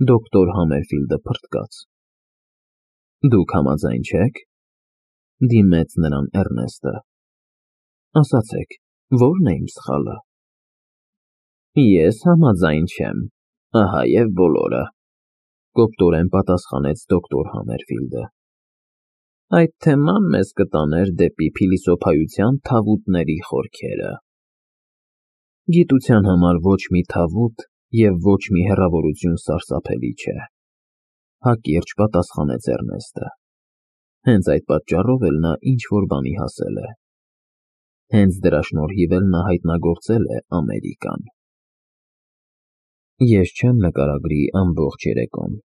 Դոկտոր Համերֆիլդը փռթկաց։ Դուք համաձայն չեք, դիմեց նրան Էռնեստը։ Ասացեք, ո՞րն է իմ սխալը։ Ես համաձայն չեմ, ահա և բոլորը, կոպտորեն պատասխանեց դոկտոր Համերֆիլդը։ Այդ թեման մեզ կտաներ դեպի փիլիսոփայության թավուտների խորքերը։ Գիտության համար ոչ մի թավուտ և ոչ մի հեռավորություն սարսափելի չէ, հակիրճ պատասխանեց Էռնեստը։ Հենց այդ պատճառով էլ նա ինչ-որ բանի հասել է։ Հենց դրա շնորհիվ էլ նա հայտնագործել է Ամերիկան։ Ես չեմ նկարագրի ամբողջ երեկոն,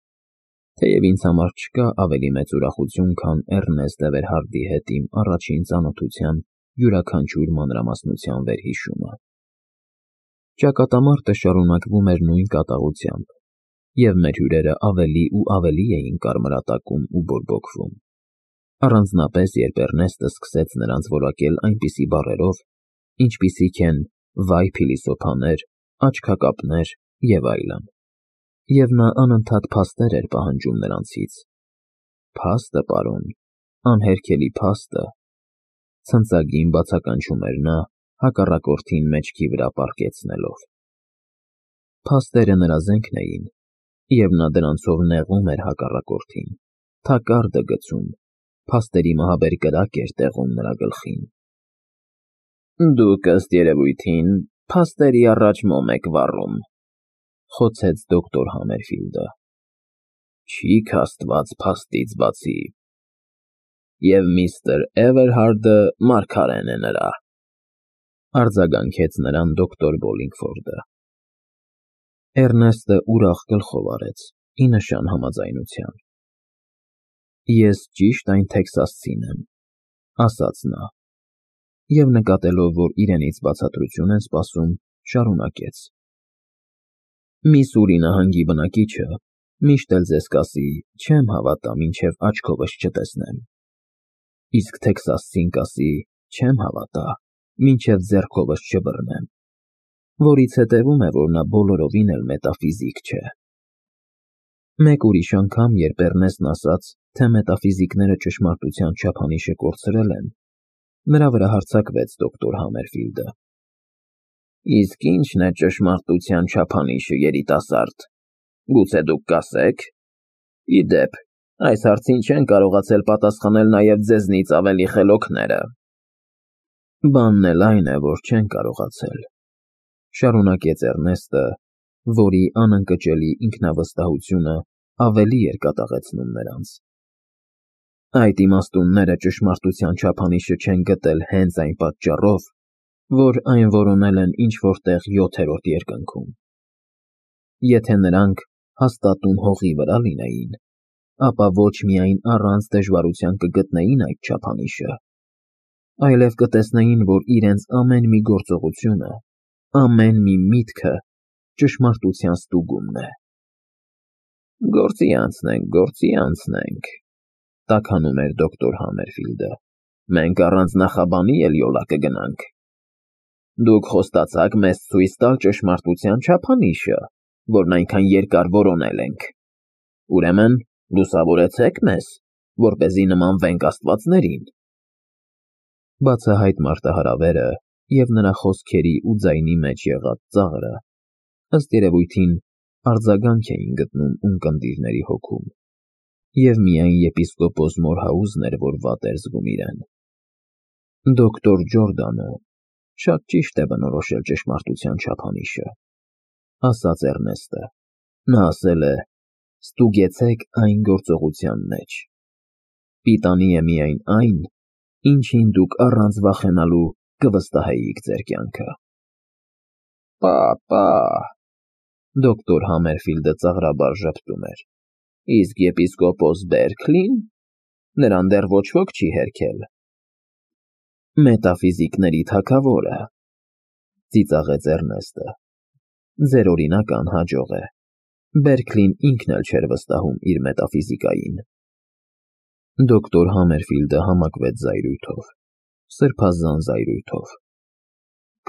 թեև ինձ համար չկա ավելի մեծ ուրախություն, քան Էռնեստ Էվերհարդի հետ իմ առաջին ծանոթության յուրաքանչյուր մանրամասնության վերհիշումը։ Ճակատամարտը շարունակվում էր նույն կատաղությամբ, և մեր հյուրերը ավելի ու ավելի էին կարմրատակում ու բորբոքվում։ Առանձնապես, երբ Էռնեստը սկսեց նրանց որակել այնպիսի բառերով, ինչպիսիք են «վայ փիլիսոփաներ», «աչքակապներ» և այլն, և նա անընդհատ փաստեր էր պահանջում նրանցից։ Փաստը, պարոն, անհերքելի փաստը, ցնծագին բացականչում էր նա, հակառակորդին մեջքի վրա պառկեցնելով։ Փաստերը նրա զենքն էին, և նա դրանցով նեղում էր հակառակորդին, թակարդը գցում, փաստերի մահաբեր կրակ էր տեղում նրա գլխին։ Դուք, ըստ երևույթին, փաստերի առաջ մոմ եք վառում, խոցեց դոկտոր Համերֆիլդը։ Չի՞ք աստված փաստից բացի։ Եվ միստր Էվերհարդը մարգարեն է նրա, արձագանքեց նրան դոկտոր Բոլինգֆորդը։ Էռնեստը ուրախ գլխով արեց, ի նշան համաձայնության։ Ես ճիշտ այն տեքսասցին եմ, ասաց նա, և նկատելով, որ իրենից բացատրություն են սպասում, շարունակեց. Միսսուրի նահանգի բնակիչը միշտ էլ ձեզ կասի. չեմ հավատա, մինչև աչքովս չտեսնեմ, իսկ տեքսասցին կասի. չեմ հավատա, մինչև ձեռքովս չբռնեմ, որից հետևում է, որ նա բոլորովին էլ մետաֆիզիկ չէ։ Մեկ ուրիշ անգամ, երբ Էռնեստն ասաց, թե մետաֆիզիկները ճշմարտության չափանիշը կորցրել են, նրա վրա հարձակվեց դոկտոր Համերֆիլդը։ Իսկ ի՞նչն է ճշմարտության չափանիշը, երիտասարդ, գուցե դուք կասեք։ Ի դեպ, այս հարցին չեն կարողացել պատասխանել նաև ձեզնից ավելի խելոքները։ Բանն էլ այն է, որ չեն կարողացել, շարունակեց Էռնեստը, որի անընկճելի ինքնավստահությունը ավելի էր կատաղեցնում նրանց։ Այդ իմաստունները ճշմարտության չափանիշը չեն գտել հենց այն պատճառով, որ այն որոնել են ինչ-որ տեղ 7-րդ երկնքում։ Եթե նրանք հաստատուն հողի վրա լինեին, ապա ոչ միայն առանց դժվարության կգտնեին այդ չափանիշը, այլև կտեսնեին, որ իրենց ամեն մի գործողությունը, ամեն մի միտքը ճշմարտության ստուգումն է։ Գործի անցնենք, տաքանում էր դոկտոր Համերֆիլդը, մենք առանց նախաբանի էլ յոլա կգնանք։ Դուք խոստացաք մեզ ցույց տալ ճշմարտության չափանիշը, որն այնքան երկար որոնել ենք։ Ուրեմն, լուսավորեցեք մեզ, որպեսզի նմանվենք աստվածներին։ Բացահայտ մարտահրավերը և նրա խոսքերի ու ձայնի մեջ եղած ծաղրը, ըստ երևույթին, արձագանք էին գտնում ունկնդիրների հոգում, և միայն եպիսկոպոս Մորհաուզն էր, որ վատ էր զգում իրեն։ Դոկտոր Ջորդանը շատ ճիշտ է բնորոշել ճշմարտության չափանիշը, ասաց Էռնեստը։ Նա ասել է. «Ստուգեցեք այն գործողության մեջ։ Պիտանի է միայն այն, ինչին դուք առանց վախենալու կվստահեիք ձեր կյանքը»։ Պա, դոկտոր Համերֆիլդը ծաղրաբար ժպտում էր։ Իսկ եպիսկոպոս Բերքլին, նրան դեռ ոչ ոք չի հերքել։ Մետաֆիզիկների թագավորը, ծիծաղեց Էռնեստը։ Ձեր օրինական հաջող է։ Բերքլին ինքն էլ չէր վստահում իր մետաֆիզիկային։ Դոկտոր Համերֆիլդը համակվեց զայրույթով, սրբազան զայրույթով։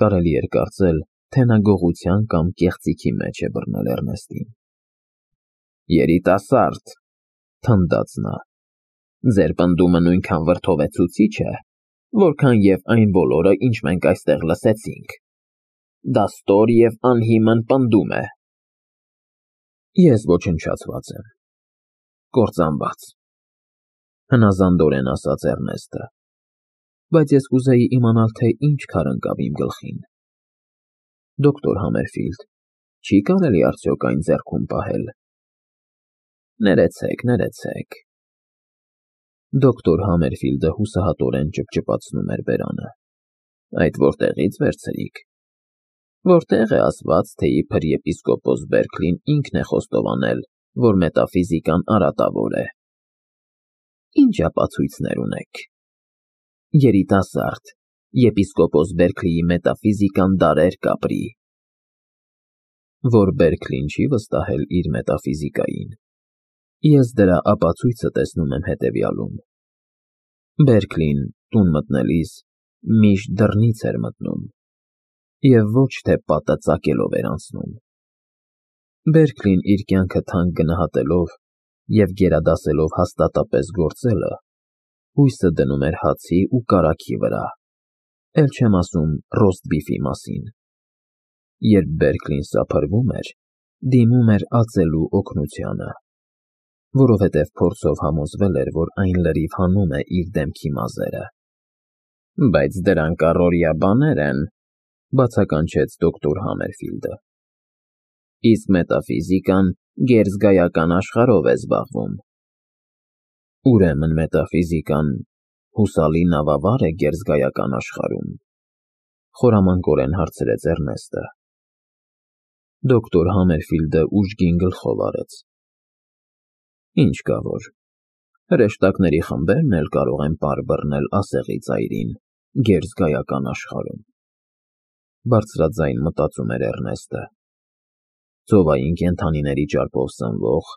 Կարելի էր կարծել, թե նա գողության կամ կեղծիքի մեջ է բռնել Էռնեստին։ Երիտասարդ, թնդաց նա, ձեր պնդումը նույնքան վրդովեցուցիչ է, որքան և այն բոլորը, ինչ մենք այստեղ լսեցինք։ Դա ստոր և անհիմն պնդում է։ Ես ոչնչացված եմ, կործանված, հնազանդորեն ասաց Էռնեստը, բայց ես կուզեի իմանալ, թե ինչ քար ընկավ իմ գլխին։ Դոկտոր Համերֆիլդ, չի կարելի արդյոք այն ձեռքում պահել։ Ներեցեք։ Դոկտոր Համերֆիլդը հուսահատորեն ճպճպացնում էր բերանը։ Այդ որտեղից վերցրիք։ Որտեղ է ասված, թե իբր եպիսկոպոս Բերքլին ինքն է խոստովանել, որ մետաֆիզիկան արատավոր է։ Ինչ ապացույցներ ունեք։ Երիտասարդ, եպիսկոպոս Բերքլիի մետաֆիզիկան դարեր կապրի։ Որ Բերքլին չի վստահել իր մետաֆիզիկային, ես դրա ապացույցը տեսնում եմ հետևյալում. Բերքլին տուն մտնելիս միշտ դռնից էր մտնում և ոչ թե պատը ծակելով էր անցնում։ Բերքլին իր կյանքը թանկ գնահատելով և գերադասելով հաստատապես գործելը, հույսը դնում էր հացի ու կարագի վրա, էլ չեմ ասում ռոստբիֆի մասին։ Երբ Բերքլին սափրվում էր, դիմում էր ածելու օգնությանը, որովհետև փորձով համոզվել էր, որ այն լրիվ հանում է իր դեմքի մազերը։ Բայց դրանք առօրյա բաներ են, բացականչեց դոկտոր Համերֆիլդը։ Իսկ մետաֆիզիկան գերզգայական աշխարհով է զբաղվում։ Ուրեմն մետաֆիզիկան հուսալի նավավա՞ր է գերզգայական աշխարհում, խորամանկորեն հարցրեց Էռնեստը։ Դոկտոր Համերֆիլդը ուժգին գլխով արեց։ Ինչ կա որ, հրեշտակների խմբերն էլ կարող են պար բռնել ասեղի ծայրին գերզգայական աշխարհում։ Բարձրաձայն մտածում էր Էռնեստը։ Ծովային կենդանիների ճարպով սնվող,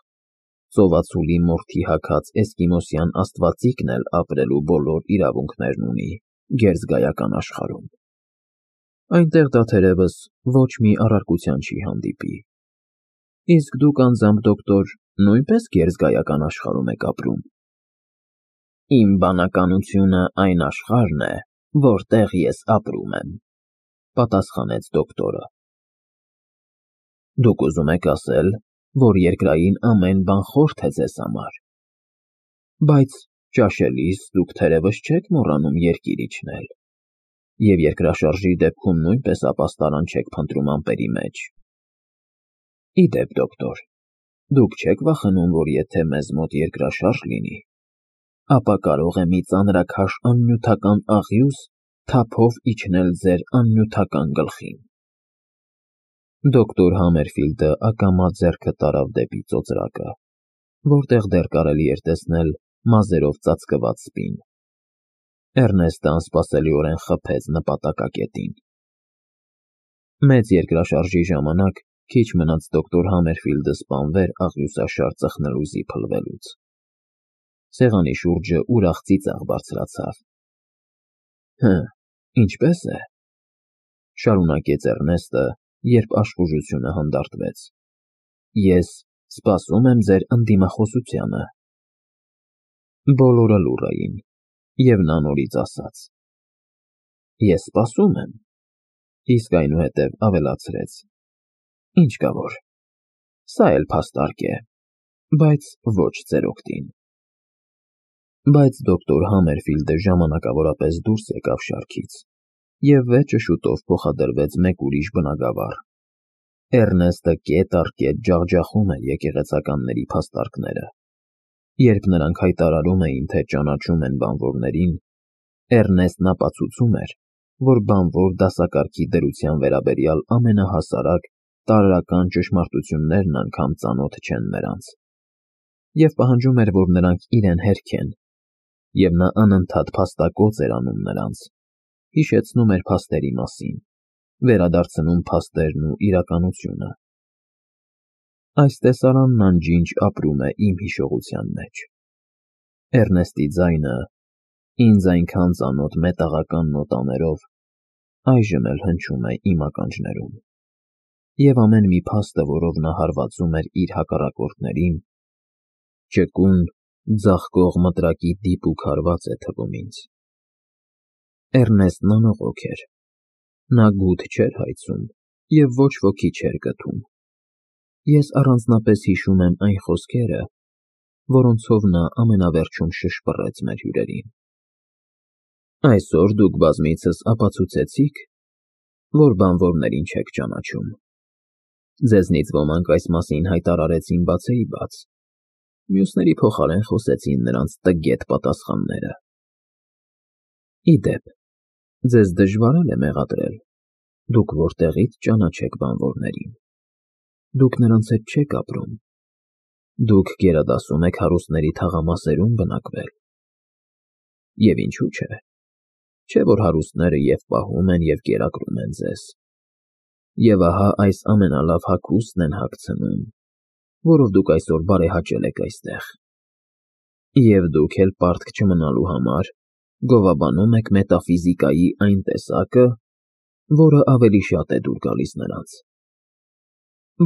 ծովածուլի մորթի հագած էսկիմոսյան աստվածիկն էլ ապրելու բոլոր իրավունքներն ունի գերզգայական աշխարհում։ Այնտեղ դա թերևս ոչ մի առարկության չի հանդիպի։ Իսկ դուք անձամբ, դոկտոր, նույնպես գերզգայական աշխարհում եք ապրում։ Իմ բանականությունը այն աշխարհն է, որտեղ ես ապրում եմ, պատասխանեց դոկտորը։ Դուք ուզում եք ասել, որ երկրային ամեն բան խորթ է ձեզ համար։ Բայց ճաշելիս դուք թերևս չեք մոռանում երկիր իջնել, և երկրաշարժի դեպքում նույնպես ապաստարան չեք փնտրում ամպերի մեջ։ Ի դեպ, դոկտոր, դուք չեք վախենում, որ եթե մեզ մոտ երկրաշարժ լինի, ապա կարող է մի ծանրաքաշ աննյութական աղյուս թափով իջնել ձեր աննյութական գլխին։ Դոկտոր Համերֆիլդը ակամա ձեռքը տարավ դեպի ծոծրակը, որտեղ դեռ կարելի էր տեսնել մազերով ծածկված սպին։ Էռնեստը անսպասելիորեն խփեց նպատակակետին։ Մեծ երկրաշարժի ժամանակ քիչ մնաց դոկտոր Համերֆիլդը սպանվեր աղյուսաշար ծխնելուզի փլվելուց։ Սեղանի շուրջը ուրախ ծիծաղ բարձրացավ։ Ինչպե՞ս է, շարունակեց Էռնեստը, երբ աշխուժությունը հանդարտվեց։ Ես սպասում եմ ձեր ընդդիմախոսությանը։ Բոլորը լուռ էին, և նա նորից ասաց. Ես սպասում եմ, իսկ այնուհետև ավելացրեց. Ինչ կա որ, սա էլ փաստարկ է, բայց ոչ ձեր օգտին։ Բայց դոկտոր Համերֆիլդը ժամանակավորապես դուրս եկավ շարքից, և վերջը շուտով փոխադրվեց մեկ ուրիշ բնագավառ։ Էռնեստը կետ առ կետ ջախջախում էր եկեղեցականների փաստարկները։ Երբ նրանք հայտարարում էին, թե ճանաչում են բանվորներին, Էռնեստն ապացուցում էր, որ բանվոր դասակարգի դրության վերաբերյալ ամենահասարակ տարրական ճշմարտություններն անգամ ծանոթ չեն նրանց, և պահանջում էր, որ նրանք իրեն հերքեն, և նա անընդհատ փաստակոծ էր անում նրանց, հիշեցնում էր փաստերի մասին, վերադարձնում փաստերն ու իրականությունը։ Այս տեսարանն անջինջ ապրում է իմ հիշողության մեջ։ Էռնեստի ձայնը, ինձ այնքան ծանոթ մետաղական նոտաներով, այժմ էլ հնչում է իմ ականջներում։ և ամեն մի փաստը, որով նա հարվածում էր իր հակառակորդներին, ճկուն, ձաղկող մտրակի դիպուկ հարված է թվում ինձ։ Էռնեստն անողոք էր, նա գութ չէր հայցում և ոչ ոքի չէր գթում։ Ես առանձնապես հիշում եմ այն խոսքերը, որոնցով նա ամենավերջում շշպռեց մեր հյուրերին. «Այսօր դուք բազմիցս ապացուցեցիք, որ բանվորներին չեք ճանաչում։ Ձեզնից ոմանք այս մասին հայտարարեցին բացեիբաց, մյուսների փոխարեն խոսեցին նրանց տգետ պատասխանները։ Ի դեպ, ձեզ դժվար է մեղադրել, դուք որտեղից ճանաչեք բանվորներին։ Դուք նրանց հետ չեք ապրում։ Դուք գերադասում եք հարուստների թաղամասերում բնակվել։ Եվ ինչու՞ չէ։ Չէ՞ որ հարուստները և պահում են, և կերակրում են ձեզ։ Եվ ահա այս ամենալավ հագուստն են հագցնում, որով դուք այսօր բարեհաճել եք այստեղ։ Եվ դուք էլ պարտք չմնալու համար գովաբանում եք մետաֆիզիկայի այն տեսակը, որը ավելի շատ է դուր գալիս նրանց։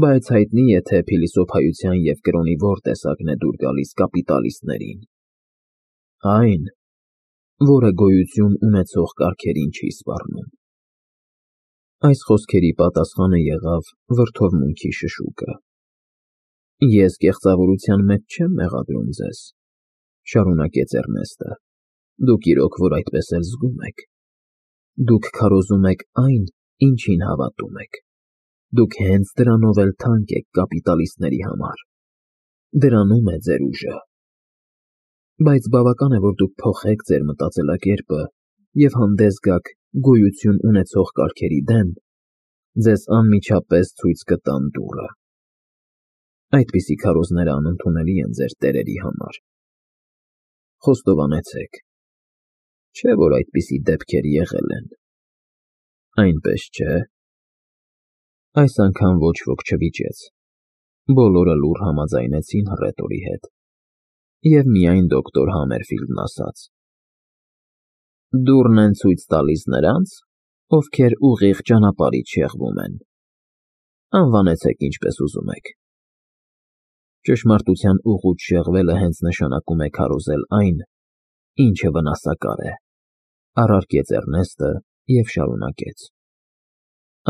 Բայց հայտնի է, թե փիլիսոփայության և կրոնի որ տեսակն է դուր գալիս կապիտալիստներին։ Այն, որը գոյություն ունեցող կարգերին չի սպառնում։ Այս խոսքերի պատասխանը եղավ վրդովմունքի շշուկը։ Ես կեղծավորության մեջ չեմ մեղադրում ձեզ, շարունակեց Էռնեստը, դուք իրոք որ այդպես էլ զգում եք։ Դուք քարոզում եք այն, ինչին հավատում եք։ Դուք հենց դրանով էլ թանկ եք կապիտալիստների համար։ Դրանում է ձեր ուժը։ Բայց բավական է, որ դուք փոխեք ձեր մտածելակերպը և հանդես գաք գոյություն ունեցող կարգերի դեմ, ձեզ անմիջապես ցույց կտան դուռը։ Այդպիսի քարոզները անընդունելի են ձեր տերերի համար։ Խոստովանեցեք, չէ՞ որ այդպիսի դեպքեր եղել են։ Այնպես չէ՞։ Այս անգամ ոչ ոք չվիճեց։ Բոլորը լուռ համաձայնեցին հռետորի հետ։ Եվ միայն դոկտոր Համերֆիլդն ասաց. Դուռն են ցույց տալիս նրանց, ովքեր ուղիղ ճանապարհից շեղվում են։ Անվանեցեք ինչպես ուզում եք։ Ճշմարտության ուղուց շեղվելը հենց նշանակում է քարոզել այն, ինչը վնասակար է, առարկեց Էռնեստը և շարունակեց.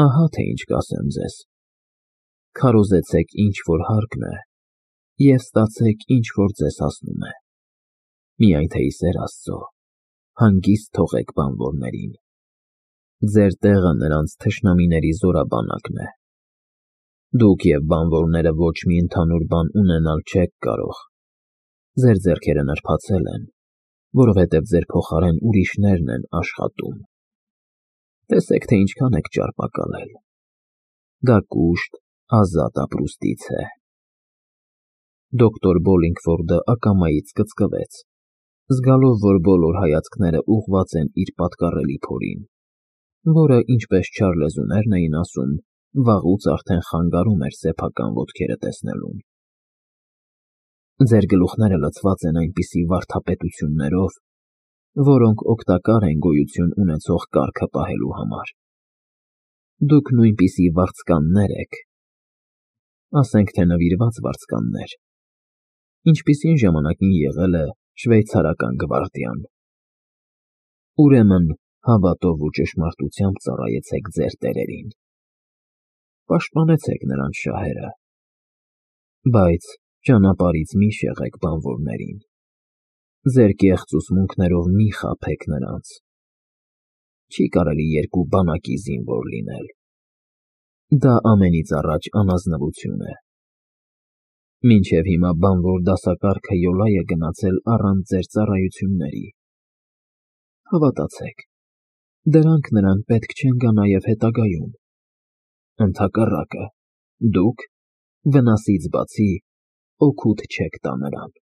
Ահա թե ինչ կասեմ ձեզ. քարոզեցեք ինչ որ հարկն է և ստացեք ինչ որ ձեզ հասնում է։ Միայն թե ի սեր Աստծո, հանգիստ թողեք բանվորներին։ Ձեր տեղը նրանց թշնամիների զորաբանակն է։ Դուք և բանվորները ոչ մի ընդհանուր բան ունենալ չեք կարող։ Ձեր ձեռքերը նրբացել են, որովհետև ձեր փոխարեն ուրիշներն են աշխատում։ Տեսեք, թե ինչքան եք ճարպակալել։ Դա կուշտ, ազատ ապրուստից է։ Դոկտոր Բոլինգֆորդը ակամայից կծկվեց, զգալով, որ բոլոր հայացքները ուղղված են իր պատկառելի փորին, որը, ինչպես չար լեզուներն էին ասում, վաղուց արդեն խանգարում էր սեփական ոտքերը տեսնելուն։ Ձեր գլուխները լցված են այնպիսի վարդապետություններով, որոնք օգտակար են գոյություն ունեցող կարգը պահելու համար։ Դուք նույնպիսի վարձկաններ եք, ասենք թե նվիրված վարձկաններ, ինչպիսին ժամանակին եղել է շվեյցարական գվարդիան։ Ուրեմն հավատով ու ճշմարտությամբ ծառայեցեք ձեր տերերին։ Պաշտպանեցեք նրանց շահերը, բայց ճանապարհից մի շեղեք բանվորներին։ Ձեր կեղծ ուսմունքներով մի խաբեք նրանց։ Չի կարելի երկու բանակի զինվոր լինել։ Դա ամենից առաջ անազնվություն է։ Մինչև հիմա բանվոր դասակարգը յոլա է գնացել առանց ձեր ծառայությունների։ Հավատացեք, դրանք նրան պետք չեն գա նաև հետագայում։ Ընդհակառակը, դուք, վնասից բացի, օգուտ չեք տա նրան։